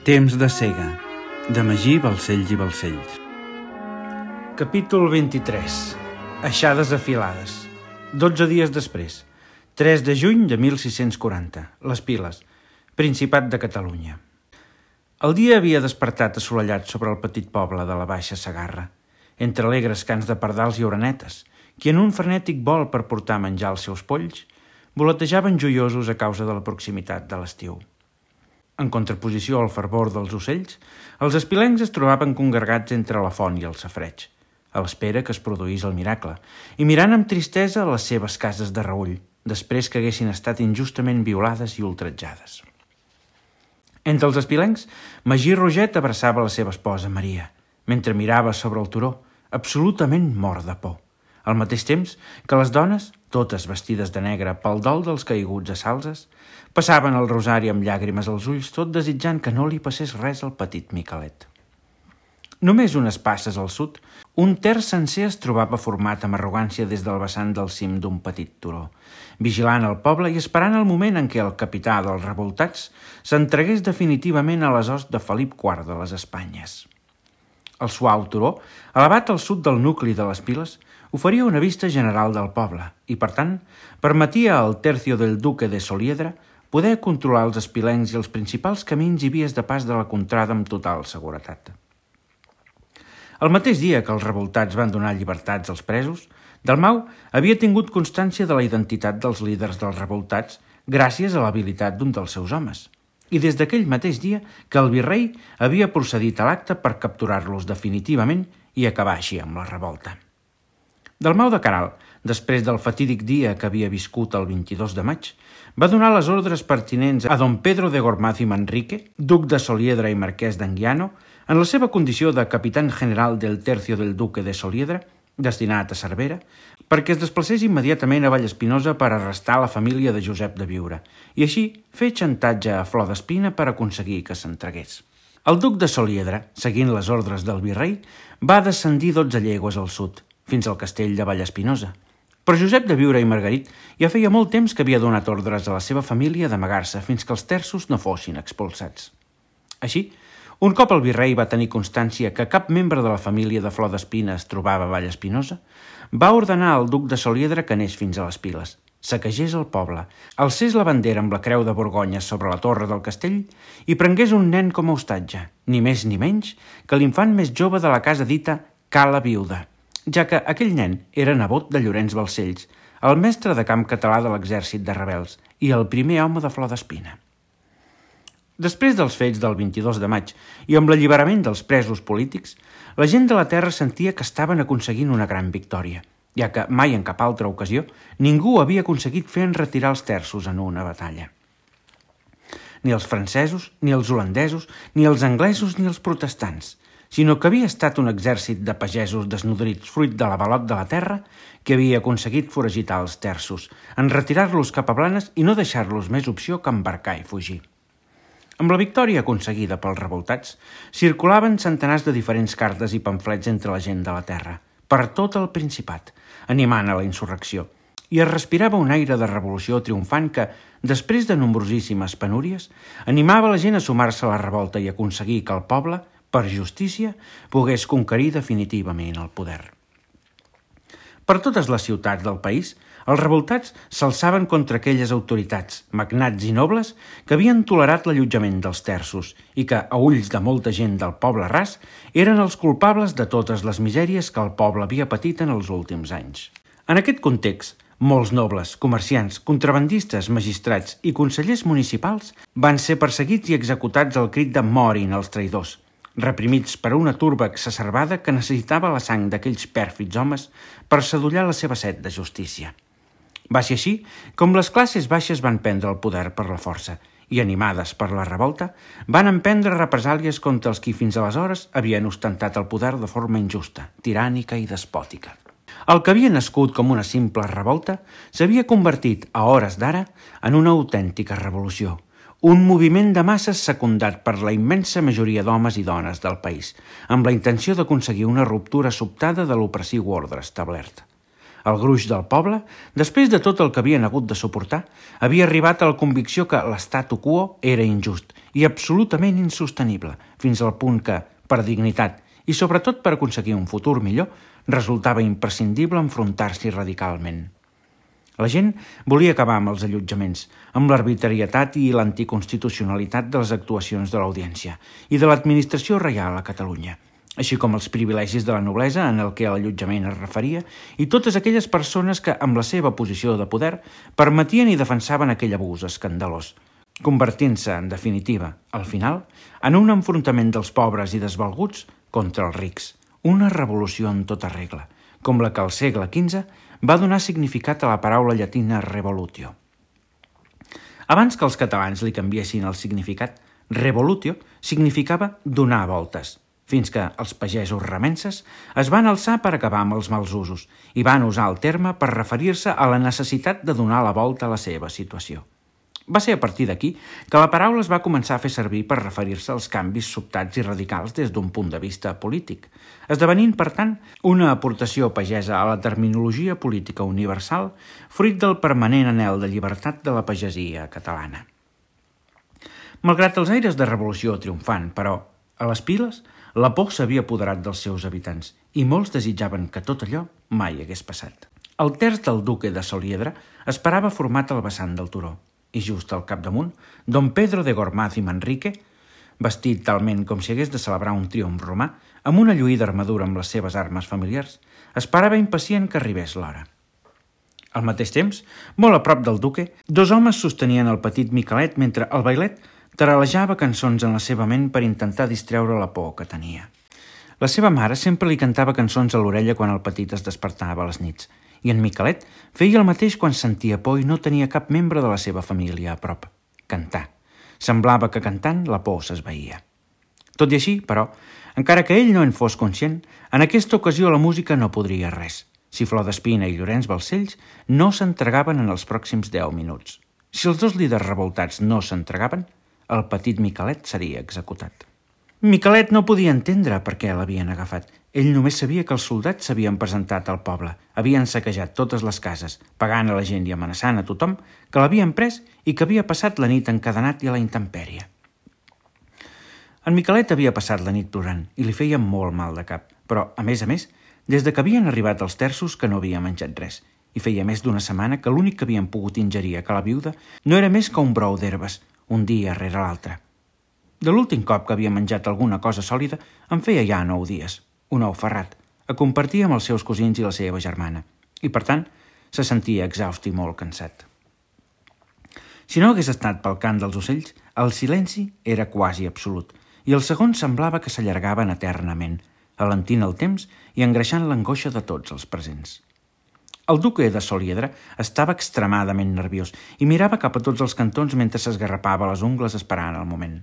Temps de cega, de Magí Balcells i Balcells. Capítol 23. Aixades afilades. 12 dies després. 3 de juny de 1640. Les Piles. Principat de Catalunya. El dia havia despertat assolellat sobre el petit poble de la Baixa Segarra, entre alegres cants de pardals i orenetes, qui en un frenètic vol per portar a menjar els seus polls, voletejaven joiosos a causa de la proximitat de l'estiu. En contraposició al fervor dels ocells, els espilencs es trobaven congregats entre la font i el safareig, a l'espera que es produís el miracle, i mirant amb tristesa les seves cases de reüll, després que haguessin estat injustament violades i ultratjades. Entre els espilencs, Magí Roget abraçava la seva esposa Maria, mentre mirava sobre el turó, absolutament mort de por, al mateix temps que les dones, totes vestides de negre pel dol dels caiguts a Salses, passaven el rosari amb llàgrimes als ulls, tot desitjant que no li passés res al petit Miquelet. Només unes passes al sud, un terç sencer es trobava format amb arrogància des del vessant del cim d'un petit turó, vigilant el poble i esperant el moment en què el capità dels revoltats s'entregués definitivament a les hosts de Felip IV de les Espanyes. El suau turó, elevat al sud del nucli de les Piles, oferia una vista general del poble i, per tant, permetia al tercio del duque de Soliedra poder controlar els espilencs i els principals camins i vies de pas de la contrada amb total seguretat. El mateix dia que els revoltats van donar llibertats als presos, Dalmau havia tingut constància de la identitat dels líders dels revoltats gràcies a l'habilitat d'un dels seus homes, i des d'aquell mateix dia que el virrei havia procedit a l'acte per capturar-los definitivament i acabar així amb la revolta. Dalmau de Caral, després del fatídic dia que havia viscut el 22 de maig, va donar les ordres pertinents a don Pedro de Gormaz i Manrique, duc de Soliedra i marquès d'Anguiano, en la seva condició de capitán general del tercio del duque de Soliedra, destinat a Cervera, perquè es desplacés immediatament a Vallespinosa per arrestar la família de Josep de Biure i així fer xantatge a Flor d'Espina per aconseguir que s'entregués. El duc de Soliedra, seguint les ordres del virrei, va descendir 12 llegües al sud, fins al castell de Vallespinosa. Però Josep de Biure i Margarit ja feia molt temps que havia donat ordres a la seva família d'amagar-se fins que els terços no fossin expulsats. Així, un cop el virrei va tenir constància que cap membre de la família de Flor d'Espina es trobava a Vallespinosa, va ordenar al duc de Soliedra que anés fins a les Piles, saquegés el poble, alcés la bandera amb la creu de Borgonya sobre la torre del castell i prengués un nen com a hostatge, ni més ni menys que l'infant més jove de la casa dita Cala Viuda, ja que aquell nen era nebot de Llorenç Balcells, el mestre de camp català de l'exèrcit de rebels i el primer home de Flor d'Espina. Després dels fets del 22 de maig i amb l'alliberament dels presos polítics, la gent de la terra sentia que estaven aconseguint una gran victòria, ja que mai en cap altra ocasió ningú havia aconseguit fer enretirar els terços en una batalla. Ni els francesos, ni els holandesos, ni els anglesos, ni els protestants, sinó que havia estat un exèrcit de pagesos desnodrits fruit de l'avalot de la terra que havia aconseguit foragitar els terços, enretirar-los cap a Blanes i no deixar-los més opció que embarcar i fugir. Amb la victòria aconseguida pels revoltats, circulaven centenars de diferents cartes i pamflets entre la gent de la terra, per tot el Principat, animant a la insurrecció, i es respirava un aire de revolució triomfant que, després de nombrosíssimes penúries, animava la gent a sumar-se a la revolta i aconseguir que el poble, per justícia, pogués conquerir definitivament el poder. Per totes les ciutats del país, els revoltats s'alçaven contra aquelles autoritats, magnats i nobles que havien tolerat l'allotjament dels terços i que, a ulls de molta gent del poble ras, eren els culpables de totes les misèries que el poble havia patit en els últims anys. En aquest context, molts nobles, comerciants, contrabandistes, magistrats i consellers municipals van ser perseguits i executats al crit de «Morin els traïdors», reprimits per una turba exacerbada que necessitava la sang d'aquells pèrfids homes per sadollar la seva set de justícia. Va ser així com les classes baixes van prendre el poder per la força i, animades per la revolta, van emprendre represàlies contra els qui fins aleshores havien ostentat el poder de forma injusta, tirànica i despòtica. El que havia nascut com una simple revolta s'havia convertit, a hores d'ara, en una autèntica revolució, un moviment de masses secundat per la immensa majoria d'homes i dones del país, amb la intenció d'aconseguir una ruptura sobtada de l'opressiu ordre establert. El gruix del poble, després de tot el que havien hagut de suportar, havia arribat a la convicció que l'statu quo era injust i absolutament insostenible, fins al punt que, per dignitat i sobretot per aconseguir un futur millor, resultava imprescindible enfrontar-s'hi radicalment. La gent volia acabar amb els allotjaments, amb l'arbitrarietat i l'anticonstitucionalitat de les actuacions de l'Audiència i de l'administració reial a Catalunya, així com els privilegis de la noblesa en el que l'allotjament es referia i totes aquelles persones que, amb la seva posició de poder, permetien i defensaven aquell abús escandalós, convertint-se, en definitiva, al final, en un enfrontament dels pobres i desvalguts contra els rics, una revolució en tota regla, com la que al segle XV va donar significat a la paraula llatina revolutio. Abans que els catalans li canviessin el significat, revolutio significava donar voltes, fins que els pagesos remenses es van alçar per acabar amb els mals usos i van usar el terme per referir-se a la necessitat de donar la volta a la seva situació. Va ser a partir d'aquí que la paraula es va començar a fer servir per referir-se als canvis sobtats i radicals des d'un punt de vista polític, esdevenint, per tant, una aportació pagesa a la terminologia política universal fruit del permanent anhel de llibertat de la pagesia catalana. Malgrat els aires de revolució triomfant, però, a les piles, la por s'havia apoderat dels seus habitants i molts desitjaven que tot allò mai hagués passat. El terç del duque de Soliedre esperava format al vessant del turó, i just al capdamunt, don Pedro de Gormaz i Manrique, vestit talment com si hagués de celebrar un triomf romà, amb una lluïda armadura amb les seves armes familiars, esperava impacient que arribés l'hora. Al mateix temps, molt a prop del duque, dos homes sostenien el petit Miquelet mentre el bailet taralejava cançons en la seva ment per intentar distreure la por que tenia. La seva mare sempre li cantava cançons a l'orella quan el petit es despertava a les nits, i en Miquelet feia el mateix quan sentia por i no tenia cap membre de la seva família a prop. Cantar. Semblava que cantant la por s'esvaïa. Tot i així, però, encara que ell no en fos conscient, en aquesta ocasió la música no podria res. Si Flor d'Espina i Llorenç Balcells no s'entregaven en els pròxims 10 minuts. Si els dos líders revoltats no s'entregaven, el petit Miquelet seria executat. Miquelet no podia entendre per què l'havien agafat. Ell només sabia que els soldats s'havien presentat al poble, havien saquejat totes les cases, pagant a la gent i amenaçant a tothom que l'havien pres i que havia passat la nit encadenat i a la intempèrie. En Miquelet havia passat la nit plorant i li feia molt mal de cap, però, a més, des de que havien arribat els terços que no havia menjat res, i feia més d'una setmana que l'únic que havien pogut ingerir a Cala Viuda no era més que un brou d'herbes, un dia rere l'altre. De l'últim cop que havia menjat alguna cosa sòlida en feia ja 9 dies, un ou ferrat, a compartir amb els seus cosins i la seva germana, i per tant se sentia exhaust i molt cansat. Si no hagués estat pel cant dels ocells, el silenci era quasi absolut, i els segons semblava que s'allargaven eternament, alentint el temps i engreixant l'angoixa de tots els presents. El duque de Soliedre estava extremadament nerviós i mirava cap a tots els cantons mentre s'esgarrapava les ungles esperant el moment.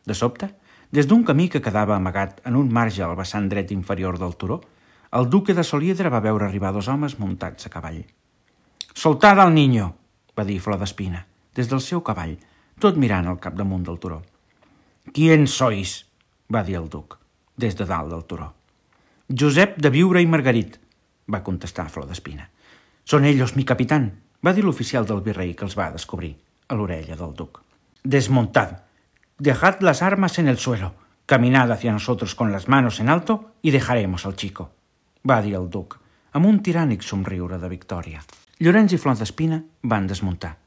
De sobte, des d'un camí que quedava amagat en un marge al vessant dret inferior del turó, el duque de Soliedre va veure arribar 2 homes muntats a cavall. «Soltad al niño!», va dir Flor d'Espina, des del seu cavall, tot mirant al capdamunt del turó. «¿Quién sois?», va dir el duc, des de dalt del turó. «Josep de Viure i Margarit», va contestar Flor d'Espina. «Son ellos, mi capitán», va dir l'oficial del virrei que els va descobrir, a l'orella del duc. «Desmontad. Dejad las armas en el suelo, caminad hacia nosotros con las manos en alto y dejaremos al chico», va dir el duc, amb un tirànic somriure de victòria. Llorenç i Flor d'Espina van desmuntar,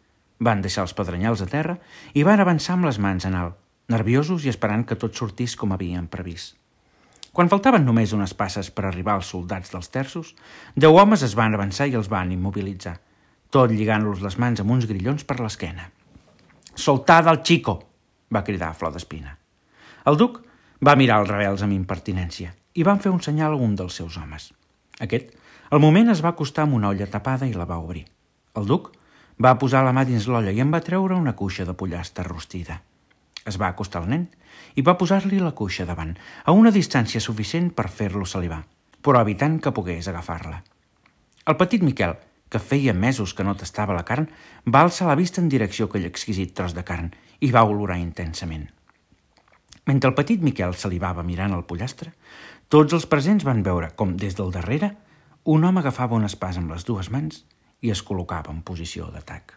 van deixar els pedrenyals a terra i van avançar amb les mans en alt, nerviosos i esperant que tot sortís com havien previst. Quan faltaven només unes passes per arribar als soldats dels terços, 10 homes es van avançar i els van immobilitzar, tot lligant-los les mans amb uns grillons per l'esquena. «Soltad al chico!», va cridar Flor d'Espina. El duc va mirar els rebels amb impertinència i van fer un senyal a un dels seus homes. Aquest, al moment, es va acostar amb una olla tapada i la va obrir. El duc va posar la mà dins l'olla i en va treure una cuixa de pollastre rostida. Es va acostar al nen i va posar-li la cuixa davant, a una distància suficient per fer-lo salivar, però evitant que pogués agafar-la. El petit Miquel, que feia mesos que no tastava la carn, va alçar la vista en direcció a aquell exquisit tros de carn i va olorar intensament. Mentre el petit Miquel salivava mirant el pollastre, tots els presents van veure com, des del darrere, un home agafava un espàs amb les dues mans i es col·locava en posició d'atac.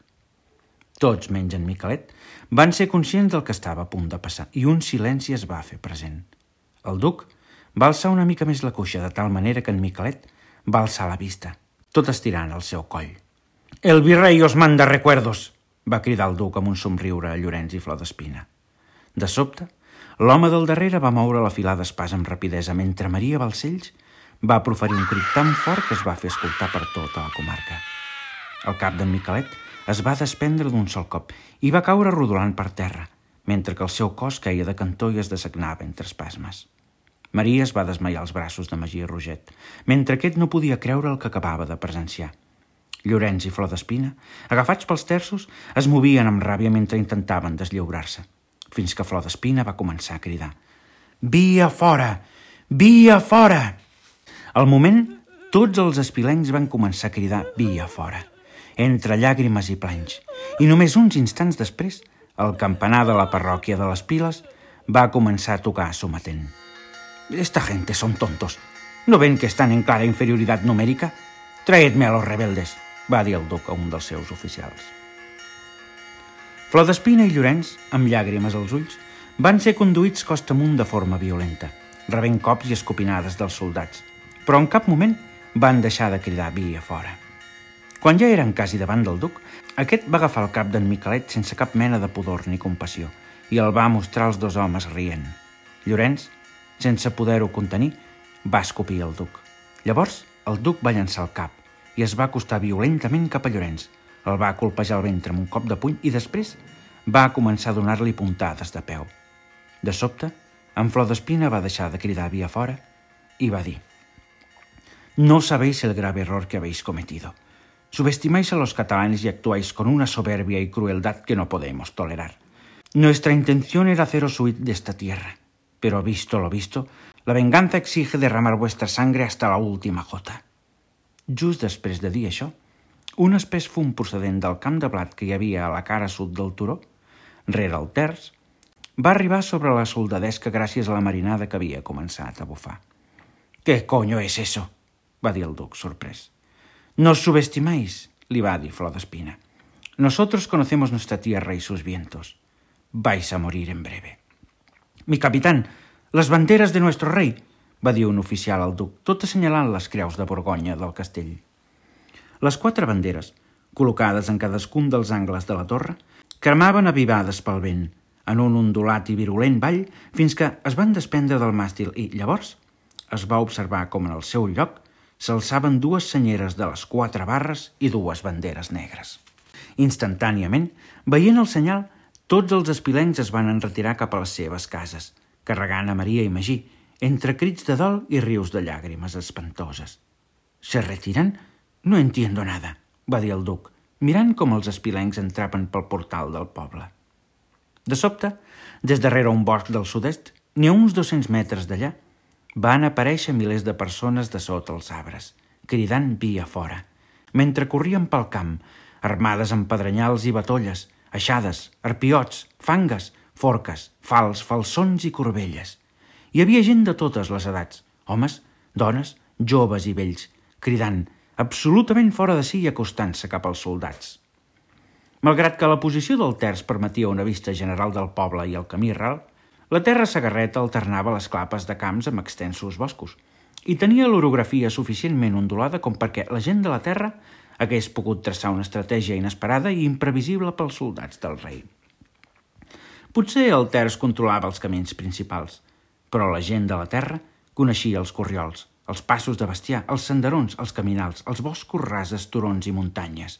Tots, menys en Miquelet, van ser conscients del que estava a punt de passar i un silenci es va fer present. El duc va alçar una mica més la cuixa de tal manera que en Miquelet va alçar la vista, tot estirant el seu coll. «El virrei os manda recuerdos!», va cridar el duc amb un somriure a Llorenç i Florespina. De sobte, l'home del darrere va moure la filada d'espàs amb rapidesa mentre Maria Balcells va proferir un crit tan fort que es va fer escoltar per tota la comarca. El cap d'en Miquelet es va desprendre d'un sol cop i va caure rodolant per terra, mentre que el seu cos queia de cantó i es desagnava entre espasmes. Maria es va desmaiar als braços de Magí i Roget, mentre aquest no podia creure el que acabava de presenciar. Llorenç i Florespina, agafats pels terços, es movien amb ràbia mentre intentaven deslliurar-se, fins que Florespina va començar a cridar: «Via fora! Via fora!». Al moment, tots els espilencs van començar a cridar «Via fora!», entre llàgrimes i planys, i només uns instants després, el campanar de la parròquia de les Piles va començar a tocar sometent. «Esta gente son tontos. ¿No ven que están en clara inferioridad numérica? Traedme a los rebeldes», va dir el duc a un dels seus oficials. Florespina i Llorenç, amb llàgrimes als ulls, van ser conduïts costa amunt de forma violenta, rebent cops i escopinades dels soldats, però en cap moment van deixar de cridar «Via fora!». Quan ja eren quasi davant del duc, aquest va agafar el cap d'en Miquelet sense cap mena de pudor ni compassió i el va mostrar als dos homes rient. Llorenç, sense poder-ho contenir, va escopir el duc. Llavors, el duc va llançar el cap i es va acostar violentament cap a Llorenç, el va colpejar el ventre amb un cop de puny i després va començar a donar-li puntades de peu. De sobte, en Florespina va deixar de cridar «Via fora!» i va dir: «No sabéis el grave error que habéis cometido. Subestimáis a los catalanes y actuáis con una soberbia y crueldad que no podemos tolerar. Nuestra intención era haceros huir de esta tierra, pero visto lo visto, la venganza exige derramar vuestra sangre hasta la última gota». Just després de dir això, un espès fum procedent del camp de blat que hi havia a la cara sud del turó, rere el terç, va arribar sobre la soldadesca gràcies a la marinada que havia començat a bufar. «¿Qué coño es eso?», va dir el duc, sorprès. «Nos subestimáis», li va dir Florespina. «Nosotros conocemos nuestra tierra y sus vientos. Vais a morir en breve». «Mi capitán, las banderas de nuestro rey», va dir un oficial al duc, tot assenyalant les creus de Borgonya del castell. Les 4 banderes, col·locades en cadascun dels angles de la torre, cremaven avivades pel vent, en un ondulat i virulent ball, fins que es van desprendre del màstil i, llavors, es va observar com en el seu lloc s'alçaven 2 senyeres de les 4 barres i 2 banderes negres. Instantàniament, veient el senyal, tots els espilencs es van enretirar cap a les seves cases, carregant a Maria i Magí, entre crits de dol i rius de llàgrimes espantoses. «¿Se retiran? No entiendo nada», va dir el duc, mirant com els espilencs entraven pel portal del poble. De sobte, des darrere un bosc del sud-est, ni a uns 200 metres d'allà, van aparèixer milers de persones de sota els arbres, cridant «Via fora!», mentre corrien pel camp, armades amb pedrenyals i batolles, aixades, arpiots, fangues, forques, fals, falsons i corbelles. Hi havia gent de totes les edats, homes, dones, joves i vells, cridant, absolutament fora de si i acostant-se cap als soldats. Malgrat que la posició del terç permetia una vista general del poble i el camí ral, la terra sagarreta alternava les clapes de camps amb extensos boscos i tenia l'orografia suficientment ondulada com perquè la gent de la terra hagués pogut traçar una estratègia inesperada i imprevisible pels soldats del rei. Potser el terç controlava els camins principals, però la gent de la terra coneixia els corriols, els passos de bestiar, els senderons, els caminals, els boscos rases, turons i muntanyes.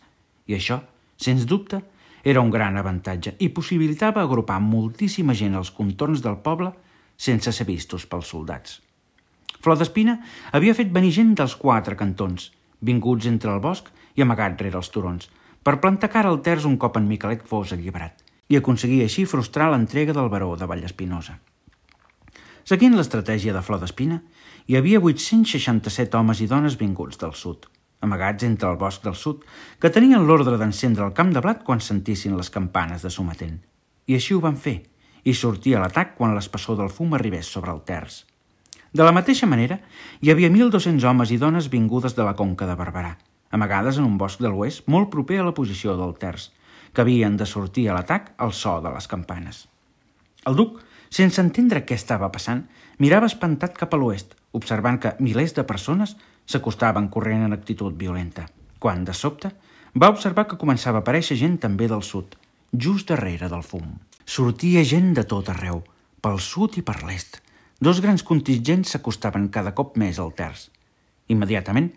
I això, sens dubte, era un gran avantatge i possibilitava agrupar moltíssima gent als contorns del poble sense ser vistos pels soldats. Florespina havia fet venir gent dels 4 cantons, vinguts entre el bosc i amagat rere els turons, per plantar cara al terç un cop en Miquelet fos alliberat, i aconseguir així frustrar l'entrega del baró de Vallespinosa. Seguint l'estratègia de Florespina, hi havia 867 homes i dones vinguts del sud, amagats entre el bosc del sud, que tenien l'ordre d'encendre el camp de blat quan sentissin les campanes de sometent. I així ho van fer, i sortir a l'atac quan l'espessor del fum arribés sobre el terç. De la mateixa manera, hi havia 1.200 homes i dones vingudes de la Conca de Barberà, amagades en un bosc de l'oest molt proper a la posició del terç, que havien de sortir a l'atac al so de les campanes. El duc, sense entendre què estava passant, mirava espantat cap a l'oest, observant que milers de persones s'acostaven corrent en actitud violenta, quan, de sobte, va observar que començava a aparèixer gent també del sud, just darrere del fum. Sortia gent de tot arreu, pel sud i per l'est. Dos grans contingents s'acostaven cada cop més al terç. Immediatament,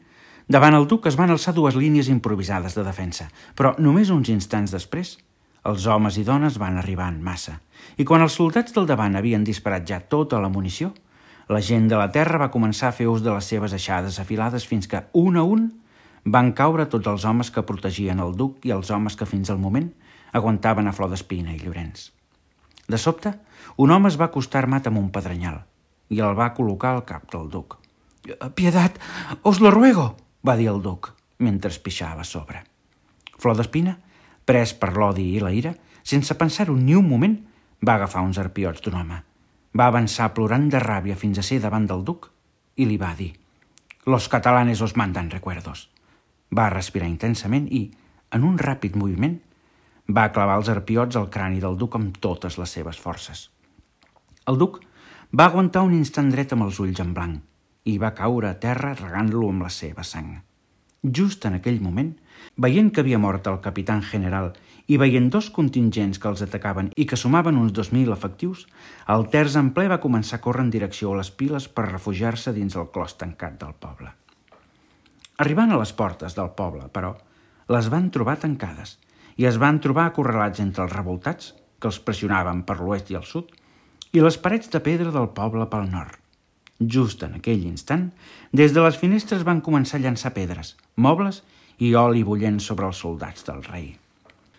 davant el duc es van alçar dues línies improvisades de defensa, però només uns instants després, els homes i dones van arribar en massa, i quan els soldats del davant havien disparat ja tota la munició, la gent de la terra va començar a fer ús de les seves aixades afilades fins que, un a un, van caure tots els homes que protegien el duc i els homes que fins al moment aguantaven a Flor d'Espina i Llorenç. De sobte, un home es va acostar armat amb un pedrenyal i el va col·locar al cap del duc. «Piedad, os lo ruego», va dir el duc, mentre pixava a sobre. Flor d'Espina, pres per l'odi i la ira, sense pensar-ho ni un moment, va agafar uns arpiots d'un home. Va avançar plorant de ràbia fins a ser davant del duc i li va dir «Los catalanes os mandan recuerdos». Va respirar intensament i, en un ràpid moviment, va clavar els arpiots al crani del duc amb totes les seves forces. El duc va aguantar un instant dret amb els ulls en blanc i va caure a terra regant-lo amb la seva sang. Just en aquell moment, veient que havia mort el capitán general i veient dos contingents que els atacaven i que sumaven uns 2.000 efectius, el terç en ple va començar a córrer en direcció a les piles per refugiar-se dins el clos tancat del poble. Arribant a les portes del poble, però, les van trobar tancades i es van trobar acorralats entre els revoltats, que els pressionaven per l'oest i el sud, i les parets de pedra del poble pel nord. Just en aquell instant, des de les finestres van començar a llançar pedres, mobles i oli bullent sobre els soldats del rei.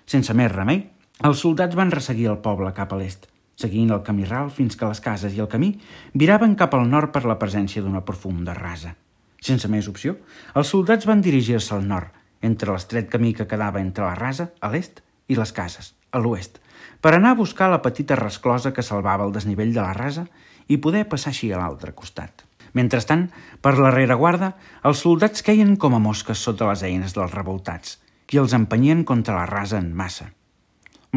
Sense més remei, els soldats van resseguir el poble cap a l'est, seguint el camí ral fins que les cases i el camí viraven cap al nord per la presència d'una profunda rasa. Sense més opció, els soldats van dirigir-se al nord, entre l'estret camí que quedava entre la rasa, a l'est, i les cases, a l'oest, per anar a buscar la petita resclosa que salvava el desnivell de la rasa i poder passar així a l'altre costat. Mentrestant, per la rereguarda, els soldats queien com a mosques sota les eines dels revoltats, qui els empenyien contra la rasa en massa.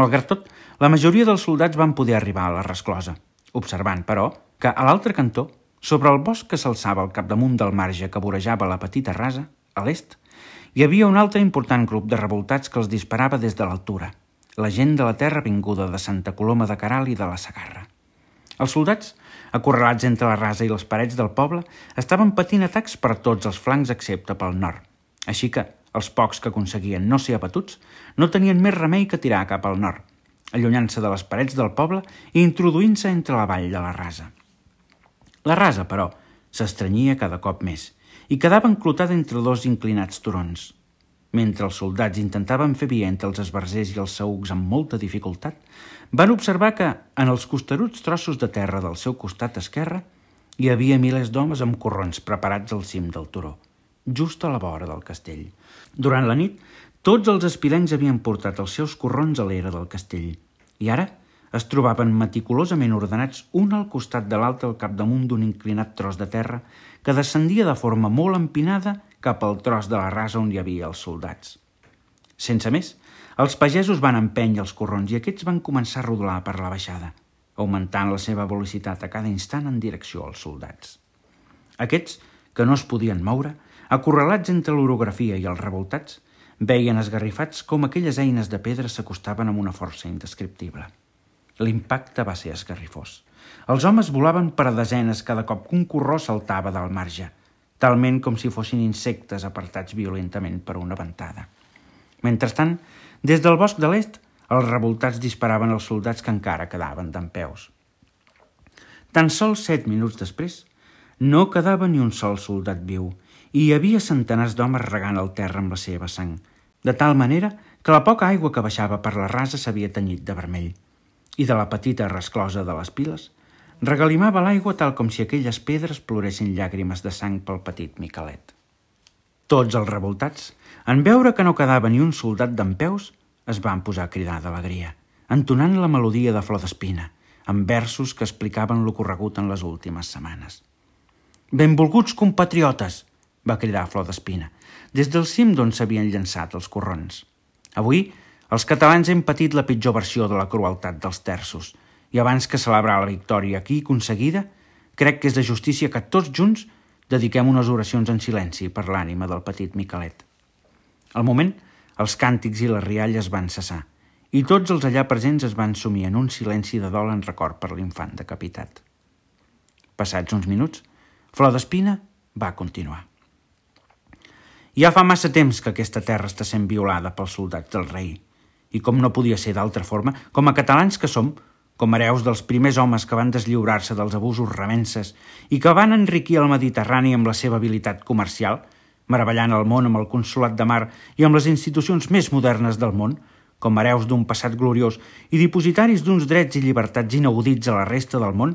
Malgrat tot, la majoria dels soldats van poder arribar a la resclosa, observant, però, que a l'altre cantó, sobre el bosc que s'alçava al capdamunt del marge que vorejava la petita rasa, a l'est, hi havia un altre important grup de revoltats que els disparava des de l'altura, la gent de la terra vinguda de Santa Coloma de Queralt i de la Segarra. Els soldats, acorralats entre la rasa i les parets del poble, estaven patint atacs per tots els flancs excepte pel nord, així que els pocs que aconseguien no ser abatuts no tenien més remei que tirar cap al nord, allunyant-se de les parets del poble i introduint-se entre la vall de la rasa. La rasa, però, s'estrenyia cada cop més i quedava enclotada entre dos inclinats turons. Mentre els soldats intentaven fer via entre els esbarzers i els saücs amb molta dificultat, van observar que, en els costeruts trossos de terra del seu costat esquerre, hi havia milers d'homes amb corrons preparats al cim del turó, just a la vora del castell. Durant la nit, tots els espilencs havien portat els seus corrons a l'era del castell, i ara es trobaven meticulosament ordenats un al costat de l'altre al capdamunt d'un inclinat tros de terra que descendia de forma molt empinada cap al tros de la rasa on hi havia els soldats. Sense més, els pagesos van empènyer els corrons i aquests van començar a rodolar per la baixada, augmentant la seva velocitat a cada instant en direcció als soldats. Aquests, que no es podien moure, acorralats entre l'orografia i els revoltats, veien esgarrifats com aquelles eines de pedra s'acostaven amb una força indescriptible. L'impacte va ser esgarrifós. Els homes volaven per a desenes cada cop que un corró saltava del marge, talment com si fossin insectes apartats violentament per una ventada. Mentrestant, des del bosc de l'est, els revoltats disparaven als soldats que encara quedaven dempeus. Tan sols 7 minuts després, no quedava ni un sol soldat viu i hi havia centenars d'homes regant el terra amb la seva sang, de tal manera que la poca aigua que baixava per la rasa s'havia tenyit de vermell i de la petita resclosa de les piles regalimava l'aigua tal com si aquelles pedres ploressin llàgrimes de sang pel petit Miquelet. Tots els revoltats, en veure que no quedava ni un soldat dempeus, es van posar a cridar d'alegria, entonant la melodia de Flor d'Espina, amb versos que explicaven l'ocorregut en les últimes setmanes. Benvolguts compatriotes, va cridar Flor d'Espina, des del cim d'on s'havien llançat els corrons. Avui, els catalans hem patit la pitjor versió de la crueltat dels terços, i abans que celebrar la victòria aquí aconseguida, crec que és de justícia que tots junts dediquem unes oracions en silenci per l'ànima del petit Miquelet. Al moment, els càntics i les rialles van cessar, i tots els allà presents es van sumir en un silenci de dol en record per l'infant decapitat. Passats uns minuts, Flor d'Espina va continuar. Ja fa massa temps que aquesta terra està sent violada pels soldats del rei, i com no podia ser d'altra forma, com a catalans que som, com hereus dels primers homes que van deslliurar-se dels abusos remenses i que van enriquir el Mediterrani amb la seva habilitat comercial, meravellant el món amb el consolat de mar i amb les institucions més modernes del món, com hereus d'un passat gloriós i dipositaris d'uns drets i llibertats inaudits a la resta del món,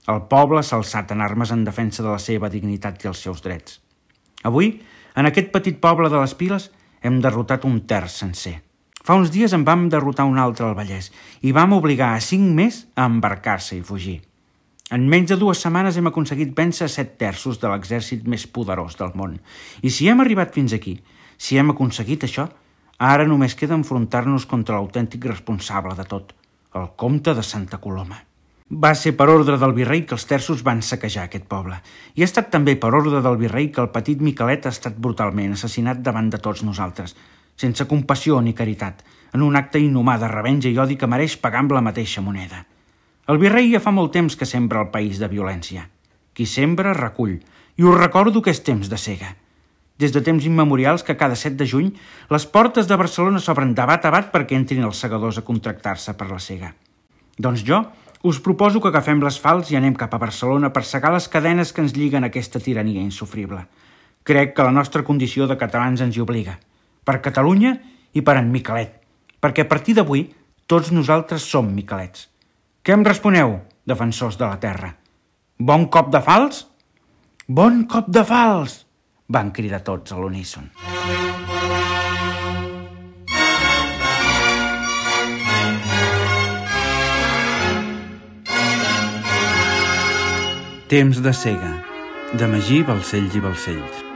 el poble s'ha alçat en armes en defensa de la seva dignitat i els seus drets. Avui, en aquest petit poble de les Piles, hem derrotat un terç sencer. Fa uns dies en vam derrotar un altre al Vallès i vam obligar a 5 més a embarcar-se i fugir. En menys de 2 setmanes hem aconseguit vèncer 7 terços de l'exèrcit més poderós del món. I si hem arribat fins aquí, si hem aconseguit això, ara només queda enfrontar-nos contra l'autèntic responsable de tot, el comte de Santa Coloma. Va ser per ordre del virrei que els terços van saquejar aquest poble, i ha estat també per ordre del virrei que el petit Miquelet ha estat brutalment assassinat davant de tots nosaltres, sense compassió ni caritat, en un acte inhumà de revenja i odi que mereix pagar amb la mateixa moneda. El virrei ja fa molt temps que sembra el país de violència. Qui sembra, recull, i us recordo que és temps de sega. Des de temps immemorials que cada 7 de juny les portes de Barcelona s'obren de bat a bat perquè entrin els segadors a contractar-se per la sega. Doncs jo us proposo que agafem les falç i anem cap a Barcelona per segar les cadenes que ens lliguen a aquesta tirania insofrible. Crec que la nostra condició de catalans ens hi obliga. Per Catalunya i per en Miquelet, perquè a partir d'avui tots nosaltres som Miquelets. Què em responeu, defensors de la terra? Bon cop de falç? Bon cop de falç! Van cridar tots a l'uníson. Temps de cega, de Magí Balcells i Balcells.